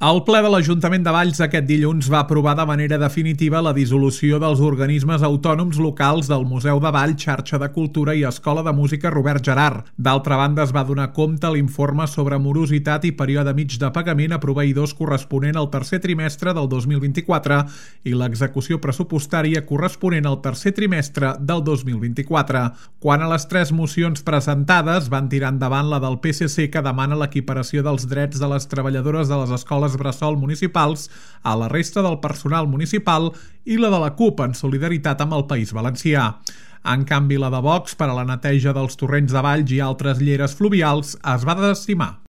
El ple de l'Ajuntament de Valls aquest dilluns va aprovar de manera definitiva la dissolució dels organismes autònoms locals del Museu de Valls, Xarxa de Cultura i Escola de Música Robert Gerhard. D'altra banda, es va donar compte l'informe sobre morositat i període mig de pagament a proveïdors corresponent al tercer trimestre del 2024 i l'execució pressupostària corresponent al tercer trimestre del 2024. Quant a les tres mocions presentades, van tirar endavant la del PSC que demana l'equiparació dels drets de les treballadores de les escoles bressol municipals a la resta del personal municipal i la de la CUP en solidaritat amb el País Valencià. En canvi, la de Vox per a la neteja dels torrents de Valls i altres lleres fluvials es va desestimar.